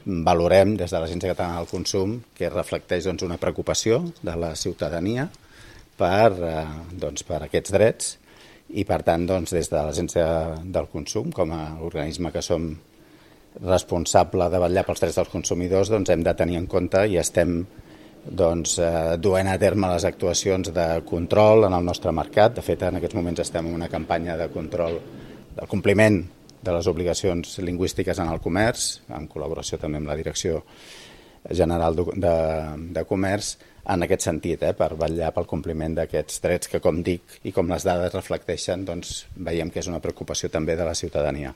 valorem des de l'Agència Catalana del Consum que reflecteix una preocupació de la ciutadania per aquests drets i, per tant, des de l'Agència del Consum, com a organisme que som responsable de vetllar pels drets dels consumidors, hem de tenir en compte i estem duent a terme les actuacions de control en el nostre mercat. De fet, en aquests moments estem en una campanya de control del compliment de les obligacions lingüístiques en el comerç, en col·laboració també amb la Direcció General de Comerç, en aquest sentit, per vetllar pel compliment d'aquests drets que, com dic, i com les dades reflecteixen, veiem que és una preocupació també de la ciutadania.